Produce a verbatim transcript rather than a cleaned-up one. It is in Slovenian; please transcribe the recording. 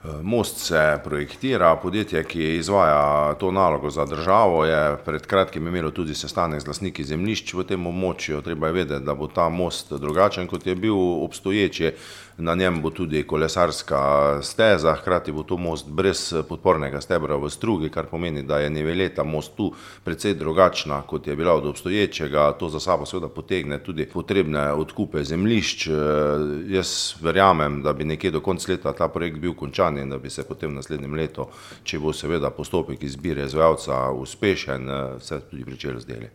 Most se projektira, podjetje, ki izvaja to nalogo za državo, je pred kratkim imelo tudi sestanek z lastniki zemljišč v tem območju. Treba je vedeti, da bo ta most drugačen, kot je bil obstoječi. Na njem bo tudi kolesarska steza, hkrati bo to most brez podpornega stebra v strugi, kar pomeni, da je niveleta mostu precej drugačna, kot je bila od obstoječega. To za sabo seveda potegne tudi potrebne odkupe zemljišč. Jaz verjamem, da bi nekje do konca leta ta projekt bil končan in da bi se potem v naslednjem letu, če bo seveda postopek izbire izvajalca uspešen, se tudi pričelo z deli.